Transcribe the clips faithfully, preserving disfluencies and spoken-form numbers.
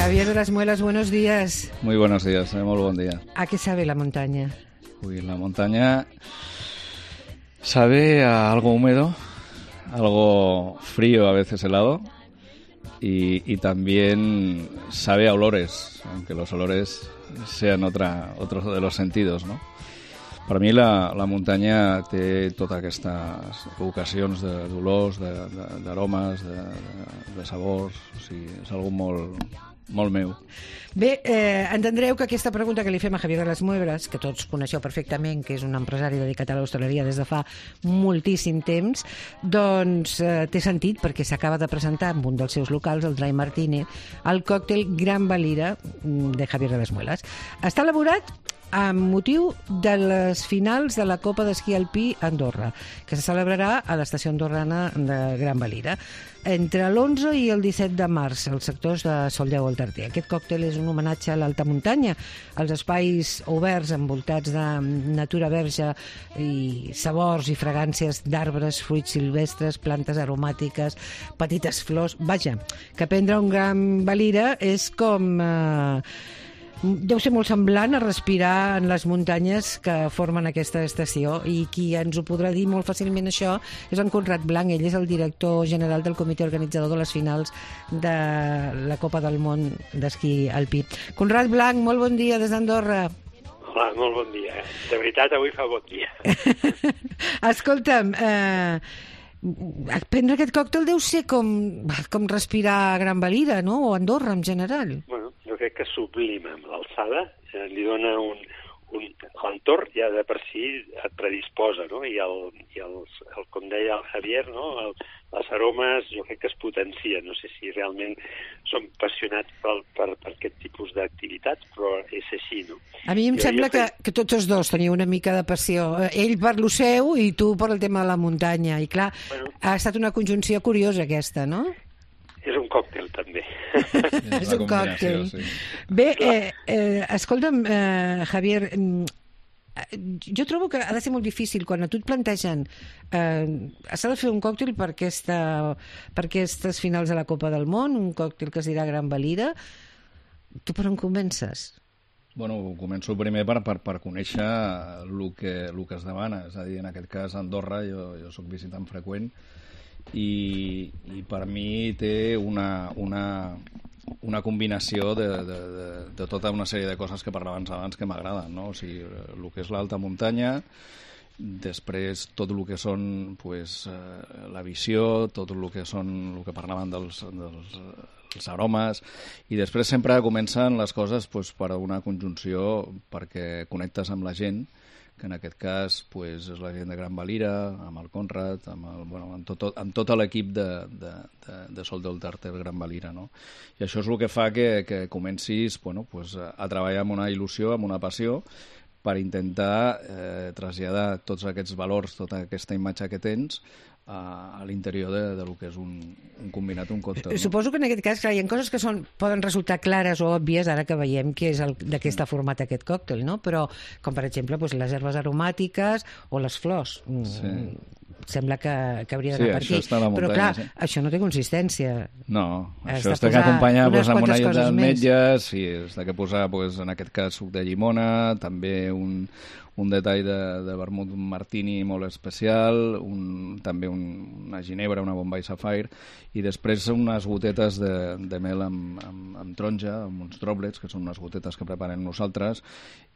Javier de las Muelas, buenos días. Muy buenos días, eh, muy buen día. ¿A qué sabe la montaña? Uy, la montaña sabe a algo húmedo, algo frío, a veces helado, y, y también sabe a olores, aunque los olores sean otra, otros de los sentidos, ¿no? Per mi la, la muntanya té totes aquestes ocasions d'olors, d'aromes, de, de, de sabors, o sigui, és algo molt, molt meu. Bé, eh, entendreu que aquesta pregunta que li fem a Javier de las Muelas, que tots coneixeu perfectament, que és un empresari dedicat a l'hostaleria des de fa moltíssim temps, doncs eh, té sentit perquè s'acaba de presentar en un dels seus locals, el Dry Martini, el còctel Gran Valira de Javier de las Muelas. Està elaborat amb motiu de les finals de la Copa d'Esquí Alpí a Andorra, que se celebrarà a l'estació andorrana de Gran Valira entre l'onze i el disset de març, als sectors de Soldeu al Tarter. Aquest còctel és un homenatge a l'alta muntanya, als espais oberts envoltats de natura verge i sabors i fragàncies d'arbres, fruits silvestres, plantes aromàtiques, petites flors. Vaja, que prendre un Gran Valira és com... Eh, deu ser molt semblant a respirar en les muntanyes que formen aquesta estació, i qui ens ho podrà dir molt fàcilment això és en Conrad Blanc. Ell és el director general del comitè organitzador de les finals de la Copa del Món d'Esquí Alpí. Conrad Blanc, molt bon dia des d'Andorra. Hola, molt bon dia. De veritat, avui fa bon dia. Escolta'm, eh, prendre aquest còctel deu ser com, com respirar a Gran Valira, no? O Andorra en general. Bueno, jo crec que sublima amb l'alçada, eh, li dona un... un l'entorn ja de per si et predisposa, no? I, el, i els, el, com deia el Javier, no? El, les aromes jo crec que es potencien. No sé si realment som apassionats per, per, per aquest tipus d'activitats, però és així, no? A mi em jo, sembla jo que, que tots els dos teniu una mica de passió. Ell per lo seu i tu per el tema de la muntanya. I clar, bueno, ha estat una conjunció curiosa aquesta, no? És un còctel, també. És un còctel. Sí. Bé, eh, eh, escolta'm, eh, Javier, jo trobo que ha de ser molt difícil quan a tu et plantegen eh, s'ha de fer un còctel per, aquesta, per aquestes finals de la Copa del Món, un còctel que es dirà Gran Valira. Tu per on comences? Bueno, començo primer per, per, per conèixer el que, el que es demana. És a dir, en aquest cas, Andorra, jo, jo soc visitant freqüent, i, i per mi té una, una, una combinació de, de, de, de tota una sèrie de coses que parlàvem abans que m'agraden, no? O sigui, el que és l'alta muntanya, després tot el que són pues, eh, la visió, tot el que són el que parlaven dels, dels els aromes, i després sempre comencen les coses pues, per una conjunció perquè connectes amb la gent, que en aquest cas pues, és la gent de Gran Valira, amb el Conrad, amb, el, bueno, amb, tot, amb tot l'equip de, de, de, de Soldeu al Tarter Gran Valira, no? I això és el que fa que, que comencis bueno, pues, a, a treballar amb una il·lusió, amb una passió, per intentar eh, traslladar tots aquests valors, tota aquesta imatge que tens, a l'interior de, de lo que és un, un combinat, un còctel. No? Suposo que en aquest cas, clar, hi ha coses que són, poden resultar clares o òbvies ara que veiem que és el, de què està format aquest còctel, no? Però, com per exemple, pues, les herbes aromàtiques o les flors. Sí. Sembla que, que hauria d'anar sí, per aquí. Però, clar, sí. Això no té consistència. No, Has això està que acompanyar pues, amb una llet d'ametlles, sí, està que posar, pues, en aquest cas, suc de llimona, també un... un detall de, de vermut martini molt especial, un, també un, una ginebra, una Bombay Sapphire, i després unes gotetes de, de mel amb, amb, amb taronja, amb uns droblets, que són unes gotetes que preparem nosaltres,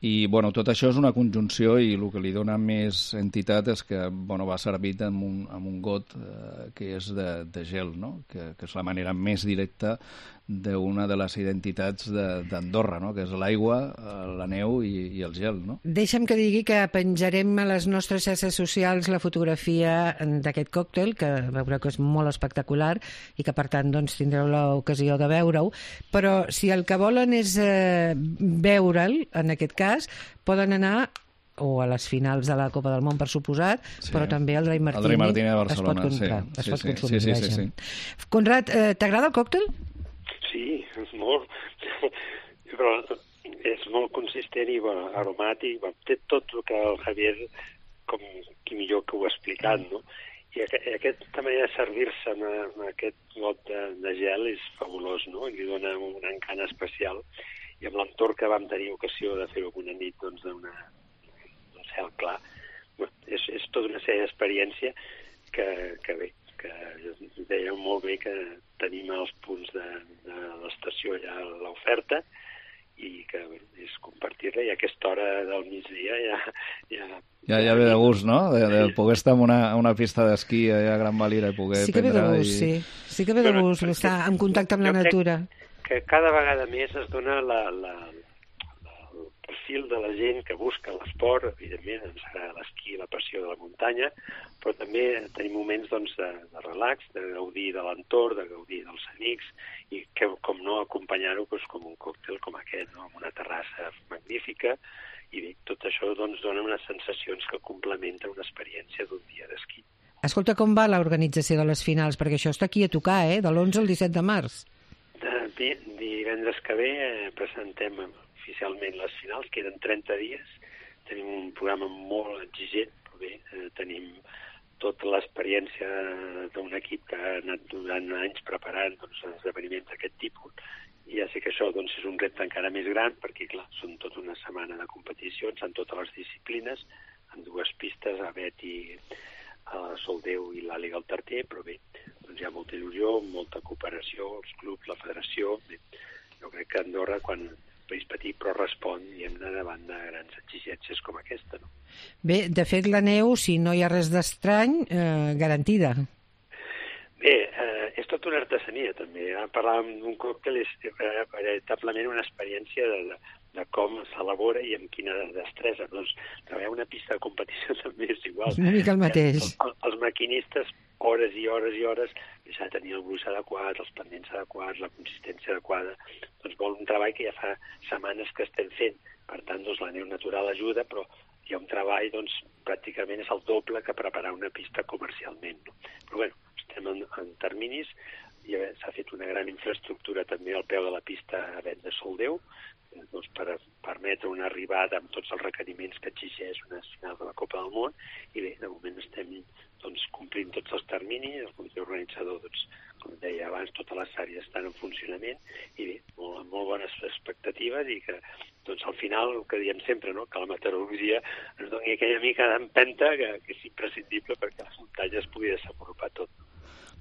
i bueno, tot això és una conjunció, i el que li dona més entitat és que bueno, va servit amb un, amb un got eh, que és de, de gel, no? que, que és la manera més directa d'una de les identitats d'Andorra, no? que és l'aigua, la neu i, i el gel. No? Deixa'm que digui que penjarem a les nostres xarxes socials la fotografia d'aquest còctel, que veureu que és molt espectacular i que per tant doncs, tindreu l'ocasió de veure-ho, però si el que volen és eh, veure'l, en aquest cas, poden anar o a les finals de la Copa del Món, per suposat, sí. però també al Dry Martini, el Dry Martini de Barcelona, es pot comprar, sí. es sí, pot sí, consumir. Sí, sí, sí, sí. Conrad, eh, t'agrada el còctel? Sí, és molt, però és molt consistent i bueno, aromàtic, bueno, té tot el que el Javier, com qui millor que ho ha explicat, no? I aquesta manera de servir-se amb aquest got de, de gel és fabulós, no? I li dona un encant especial. I amb l'entorn que vam tenir ocasió de fer-ho una nit doncs, d'un cel clar, és, és tota una sèrie d'experiència que, que bé, que dèiem molt bé que tenim els punts de, de l'estació ja a l'oferta i que bé, és compartir-la, i a aquesta hora del migdia ja... Ja, ja, ja ve de gust, no? De, de poder estar en una, una pista d'esquí allà a Gran Valira i poder sí que ve de gust, i... sí. Sí que ve de gust, bueno, estar en contacte amb la natura. Que cada vegada més es dona la, la, la, el perfil de la gent que busca l'esport, evidentment ens agrada l'esquí, la passió de la muntanya, però també tenim moments doncs, de, de relax, de gaudir de l'entorn, de gaudir dels amics, i que, com no, acompanyar-ho doncs, com un còctel com aquest, no? Amb una terrassa magnífica, i bé, tot això doncs, dona unes sensacions que complementen una experiència d'un dia d'esquí. Escolta, com va l'organització de les finals? Perquè això està aquí a tocar, eh? De l'onze al disset de març. De, divendres que ve eh, presentem oficialment les finals, queden trenta dies, tenim un programa molt exigent, però bé, eh, tenim tota l'experiència d'un equip que ha anat durant anys preparant doncs, esdeveniments d'aquest tipus, i ja sé que això doncs, és un repte encara més gran, perquè clar, són tota una setmana de competicions en totes les disciplines, en dues pistes, a Bet i a Soldeu i l'Àliga al Tarter, però bé, doncs hi ha molta il·lusió, molta cooperació, els clubs, la federació. Bé, jo crec que Andorra, quan país petit, però respon i hem d'anar davant de grans exigències com aquesta. No? Bé, de fet, la neu, si no hi ha res d'estrany, eh, garantida. Bé, eh, és tota una artesania, també. Ara parlàvem d'un còctel, és eh, veritablement una experiència de, de, de com s'elabora i amb quina destresa. Doncs treballar una pista de competició també és igual. És una mica el mateix. Els, els maquinistes, hores i hores i hores, s'ha de tenir el gruix adequat, els pendents adequats, la consistència adequada. Doncs vol un treball que ja fa setmanes que estem fent. Per tant, doncs, la neu natural ajuda, però hi ha un treball, doncs, pràcticament és el doble que preparar una pista comercialment. No? Però, bueno, estem en, en terminis, i s'ha fet una gran infraestructura també al peu de la pista a Bet de Soldeu, doncs, per permetre una arribada amb tots els requeriments que exigeix una final de la Copa del Món, i bé, de moment estem doncs, complint tots els terminis, el comitè organitzador, doncs, com deia abans, totes les àrees estan en funcionament, i bé, molt, molt bones expectatives, i que doncs, al final, el que diem sempre, no? Que la meteorologia ens doni aquella mica d'empenta que, que és imprescindible perquè les muntanyes pugui desenvolupar tot.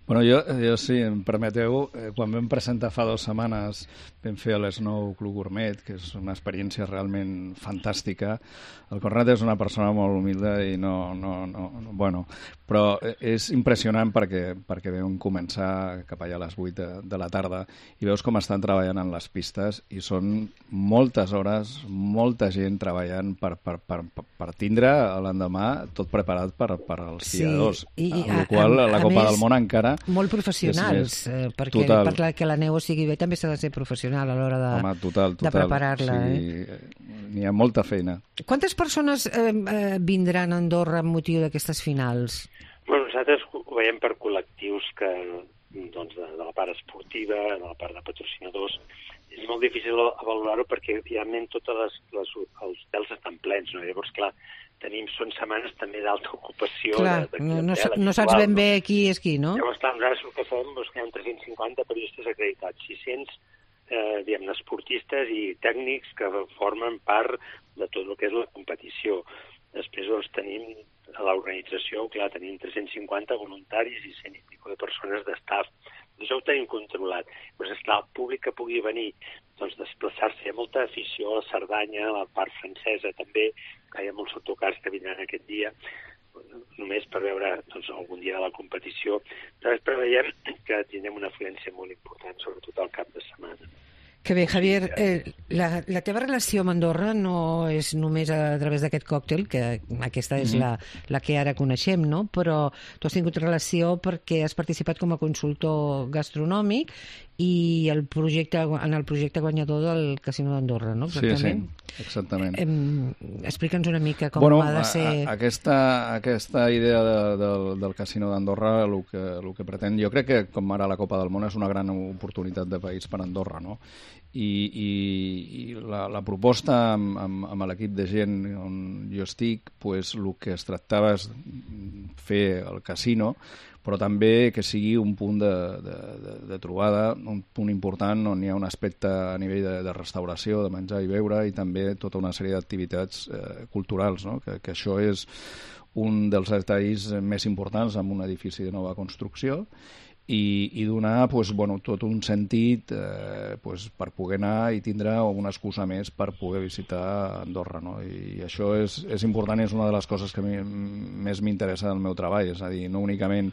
Bueno, jo, jo si em permeteu, eh, quan vam presentar fa dues setmanes, vam fer l'Snow Club Gourmet, que és una experiència realment fantàstica. El Conrad és una persona molt humilde i no... no, no, no bueno, però és impressionant perquè, perquè vam començar cap allà a les vuit de, de la tarda i veus com estan treballant en les pistes i són moltes hores, molta gent treballant per, per, per, per tindre l'endemà tot preparat per, per als skiadors. Sí, i, amb la qual a, a la Copa més, del Món encara... Molt professionals, eh, perquè total. Per que la neu sigui bé també s'ha de ser professional a l'hora de, Home, total, total. de preparar-la. O sigui, eh? N'hi ha molta feina. Quantes persones eh, eh, vindran a Andorra amb motiu d'aquestes finals? Bueno, nosaltres ho veiem per col·lectius que, doncs, de, de la part esportiva, de la part de patrocinadors. És molt difícil valorar-ho perquè realment tots les, les, els hotels estan plens, no? Llavors, clar, tenim, són setmanes també d'alta ocupació. Clar, de, de no, no, habitual, no saps ben bé qui és qui, no? Llavors, clar, nosaltres el que fem és que hi ha tres-cents cinquanta periodistes acreditats, sis-cents eh, diguem-ne, esportistes i tècnics que formen part de tot el que és la competició. Després doncs, tenim a l'organització, clar, tenim tres-cents cinquanta voluntaris i cent i pico de persones d'estaf. Això ho tenim controlat. Doncs, esclar, el públic que pugui venir, doncs, desplaçar-se, hi ha molta afició a la Cerdanya, a la part francesa també, que hi ha molts autocars que vindran aquest dia, només per veure doncs, algun dia de la competició. Nosaltres preveiem que tindrem una afluència molt important, sobretot al cap de setmana. Que bé, Javier, eh, la, la teva relació amb Andorra no és només a través d'aquest còctel, que aquesta és mm-hmm. la, la que ara coneixem, no? Però tu has tingut relació perquè has participat com a consultor gastronòmic i el projecte, en el projecte guanyador del Casino d'Andorra, no? Exactament? Sí, sí, exactament. Eh, Explica'ns una mica com bueno, ha de ser... A, a, aquesta, aquesta idea de, de, del Casino d'Andorra, el que, el que pretén, jo crec que com ara la Copa del Món és una gran oportunitat de país per Andorra, no? I, i, i la, la proposta amb, amb, amb l'equip de gent on jo estic, pues, el que es tractava és fer el casino, però també que sigui un punt de, de, de, de trobada, un punt important on hi ha un aspecte a nivell de, de restauració, de menjar i beure, i també tota una sèrie d'activitats eh, culturals, no? que, que això és un dels detalls més importants en un edifici de nova construcció, i, i donar pues, bueno, tot un sentit eh, pues, per poder anar i tindre una excusa més per poder visitar Andorra, no? I això és, és important i és una de les coses que a mi més m'interessa del meu treball, és a dir, no únicament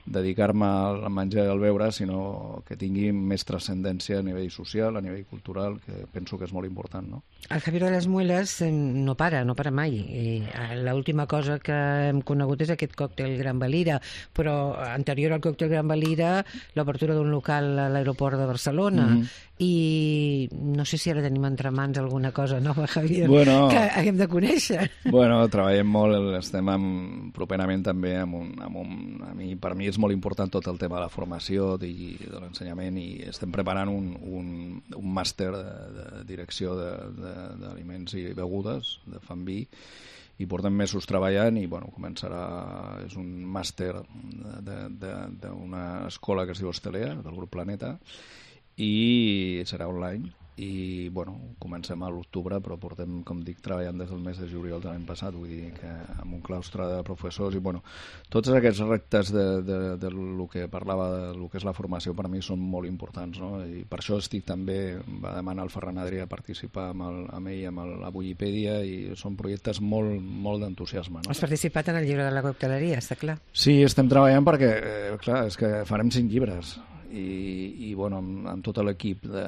dedicar-me al menjar i al beure, sinó que tingui més transcendència a nivell social, a nivell cultural, que penso que és molt important, no? El Javier de les Muelas no para, no para mai. L'última cosa que hem conegut és aquest còctel Gran Valira, però anterior al còctel Gran Valira, l'obertura d'un local a l'aeroport de Barcelona. Mm-hmm. I no sé si ara tenim entre mans alguna cosa nova, Javier, bueno, que haguem de conèixer. Bueno, treballem molt, estem amb, properament també amb un, amb un... A mi, per mi és molt important tot el tema de la formació i de l'ensenyament, i estem preparant un, un, un màster de, de direcció d'aliments i begudes, de Fan Vi, i portem mesos treballant i bueno, començarà, és un màster d'una escola que es diu Hostelea, del grup Planeta, i serà online. I bueno, comencem a l'octubre, però portem, com dic, treballant des del mes de juliol de l'any passat, vull dir que amb un claustre de professors, i bueno, tots aquests reptes de, de, de lo que parlava, de lo que és la formació, per a mi són molt importants, no? I per això estic també, va demanar el Ferran Adrià participar amb, el, amb ell, amb el, la Bullypedia, i són projectes molt, molt d'entusiasme, no? Has participat en el llibre de la cocteleria, està clar? Sí, estem treballant perquè, eh, clar, és que farem cinc llibres, i, i bueno, amb, amb tot l'equip de,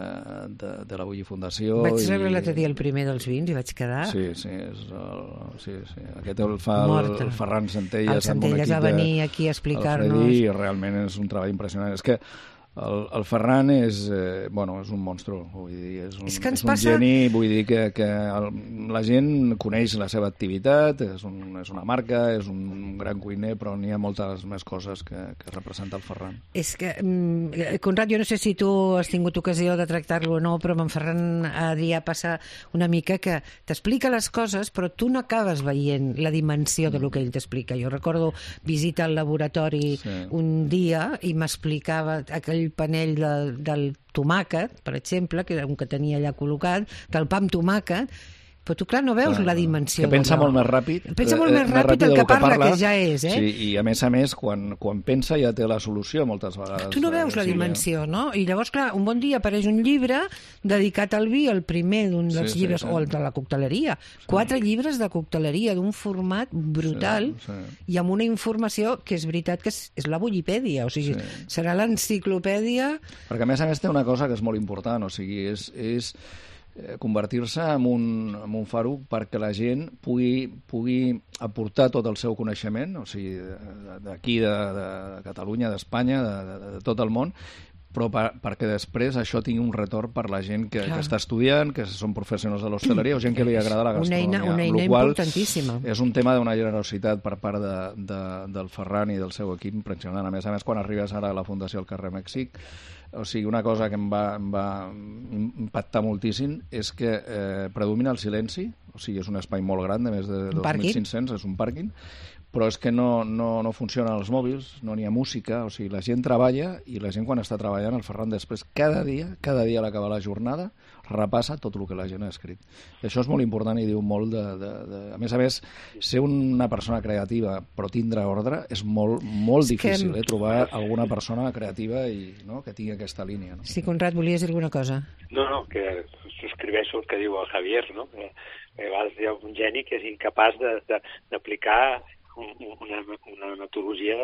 de, de la Bulli Fundació. Vaig rebre i... l'altre dia el primer dels vins i vaig quedar... Sí, sí, és el, sí, sí. Aquest el fa el, el Ferran Centelles. El Centelles va venir aquí a explicar-nos... I realment és un treball impressionant. És que el, el Ferran és, eh, bueno, és un monstru, vull dir, és un, és que és un passa... geni, vull dir que, que el, la gent coneix la seva activitat, és, un, és una marca, és un gran cuiner, però n'hi ha moltes més coses que, que representa el Ferran. És que, Conrad, jo no sé si tu has tingut ocasió de tractar-lo o no, però amb en Ferran Adrià passa una mica que t'explica les coses, però tu no acabes veient la dimensió de lo que ell t'explica. Jo recordo visita al laboratori sí. un dia i m'explicava aquell panell de, del tomàquet, per exemple, que era un que tenia allà col·locat, del pa amb tomàquet, però tu, clar, no veus clar, la dimensió. Que pensa molt més ràpid. Pensa molt més ràpid, ràpid el que, que parla, parla, que ja és, eh? Sí, i a més a més, quan, quan pensa ja té la solució moltes vegades. Tu no veus la dimensió, no? I llavors, clar, un bon dia apareix un llibre dedicat al vi, el primer d'un dels sí, llibres, sí, sí. o el de la cocteleria. Sí. Quatre llibres de cocteleria d'un format brutal sí, sí. i amb una informació que és veritat que és, és la Bullipèdia, o sigui, sí. serà l'enciclopèdia... Perquè a més a més té una cosa que és molt important, o sigui, és... és convertir-se en un, en un faro perquè la gent pugui, pugui aportar tot el seu coneixement, o sigui, d'aquí, de, de Catalunya, d'Espanya, de, de, de tot el món, però per, perquè després això tingui un retorn per la gent que, que està estudiant, que són professionals de l'hostaleria o gent que li agrada la gastronomia. Una eina, una eina importantíssima. És un tema d'una generositat per part de, de, del Ferran i del seu equip impressionant. A més a més, quan arribes ara a la Fundació al carrer Mèxic, o sigui, una cosa que em va, em va impactar moltíssim és que eh, predomina el silenci, o sigui, és un espai molt gran, de més de dos mil cinc-cents, és un pàrquing, però és que no, no, no funcionen els mòbils, no n'hi ha música, o sigui, la gent treballa i la gent quan està treballant, el Ferran després, cada dia, cada dia a l'acabar la jornada, repassa tot el que la gent ha escrit. I això és molt important i diu molt de... de, de... A més a més, ser una persona creativa però tindre ordre és molt, molt difícil, que... eh? Trobar alguna persona creativa i no? que tingui aquesta línia. No? Sí, Conrad, volies dir alguna cosa? No, no, que subscriveixo el que diu el Javier, no? Que a vegades hi ha un geni que és incapaç d'aplicar una, una metodologia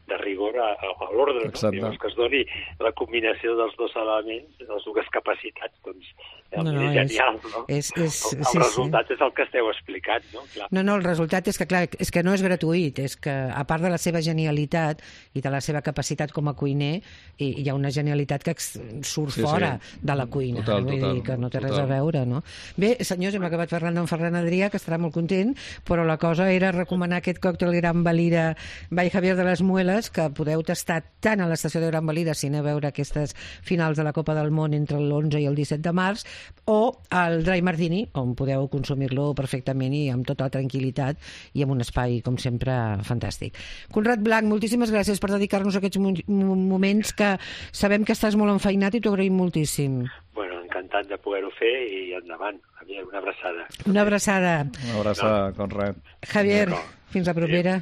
de rigor a, a l'ordre, no? Llavors que es doni la combinació dels dos elements, de les dues capacitats, doncs no, no, és genial, és, no? És, és, el el sí, resultat sí. és el que esteu explicant, no? Clar. No, no, el resultat és que, clar, és que no és gratuït, és que, a part de la seva genialitat i de la seva capacitat com a cuiner, hi, hi ha una genialitat que surt sí, fora sí. de la cuina, total, vull total, dir que no té total. res a veure, no? Bé, senyors, hem acabat parlant d'en Ferran Adrià, que estarà molt content, però la cosa era recomanar aquest còctel còctel Gran Valira by Javier de les Muelas, que podeu tastar tant a l'estació de Gran Valira, si aneu a veure aquestes finals de la Copa del Món entre l'onze i el disset de març, o al Dry Martini, on podeu consumir-lo perfectament i amb tota la tranquil·litat i amb un espai, com sempre, fantàstic. Conrad Blanch, moltíssimes gràcies per dedicar-nos a aquests moments que sabem que estàs molt enfeinat i t'ho agraïm moltíssim. Bueno, encantat de poder-ho fer i endavant. Javier, una abraçada. Una abraçada. Una abraçada, no. Conrad. Javier, no. Fins la propera.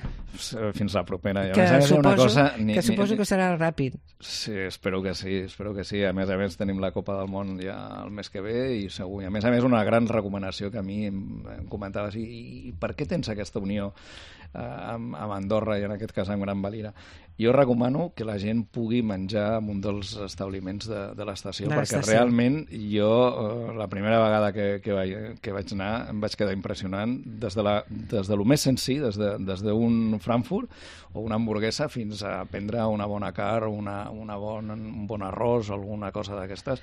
Fins la propera. I a que més a més, suposo, una cosa, ni, que suposo ni, que serà ràpid. Sí, espero que sí, espero que sí. A més a més, tenim la Copa del Món ja el mes que ve i segur. I a més a més, una gran recomanació que a mi em, em comentaves, i, i per què tens aquesta unió eh, amb, amb Andorra i en aquest cas amb Gran Valira? Jo recomano que la gent pugui menjar en un dels establiments de, de l'estació, perquè realment jo, eh, la primera vegada que, que, vaig, que vaig anar, em vaig quedar impressionant des de, la, des de lo més senzill, des de, des d'un Frankfurt o una hamburguesa fins a prendre una bona carn, una, una bon, un bon arròs o alguna cosa d'aquestes.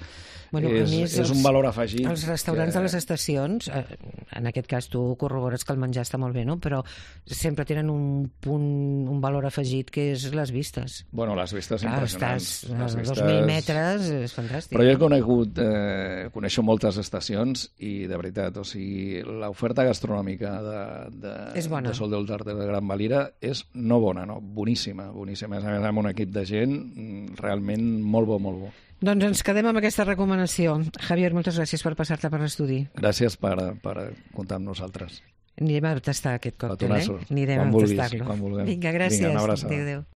Bueno, és, és els, un valor afegit. Els restaurants que... de les estacions, eh, en aquest cas tu corrobores que el menjar està molt bé, no? Però sempre tenen un punt, un valor afegit que és les vistes. Bueno, les vistes Clar, impressionants. Estàs a vistes... dos mil metres, és fantàstic. Però jo he conegut, eh, coneixo moltes estacions i de veritat, o sigui, l'oferta gastronòmica de, de, de Sol del Darder de Gran Valira és no bona, no, boníssima, boníssima. A més, amb un equip de gent realment molt bo, molt bo. Doncs ens quedem amb aquesta recomanació. Javier, moltes gràcies per passar-te per l'estudi. Gràcies per, per comptar amb nosaltres. Anirem a tastar aquest còctel, eh? Anirem quan a vulguis, tastar-lo. Quan vulguem. Vinga, gràcies. Vinga, una abraçada. Adéu, adéu.